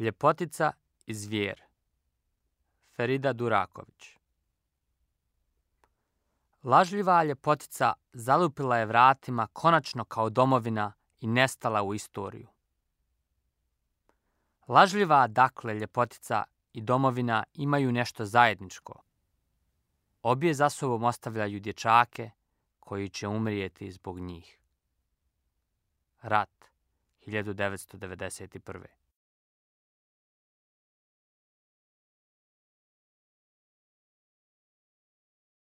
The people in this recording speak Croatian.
Ljepotica i zvijer. Ferida Duraković. Lažljiva ljepotica zalupila je vratima konačno kao domovina i nestala u istoriju. Lažljiva, dakle, ljepotica i domovina imaju nešto zajedničko. Obje za sobom ostavljaju dječake koji će umrijeti zbog njih. Rat 1991.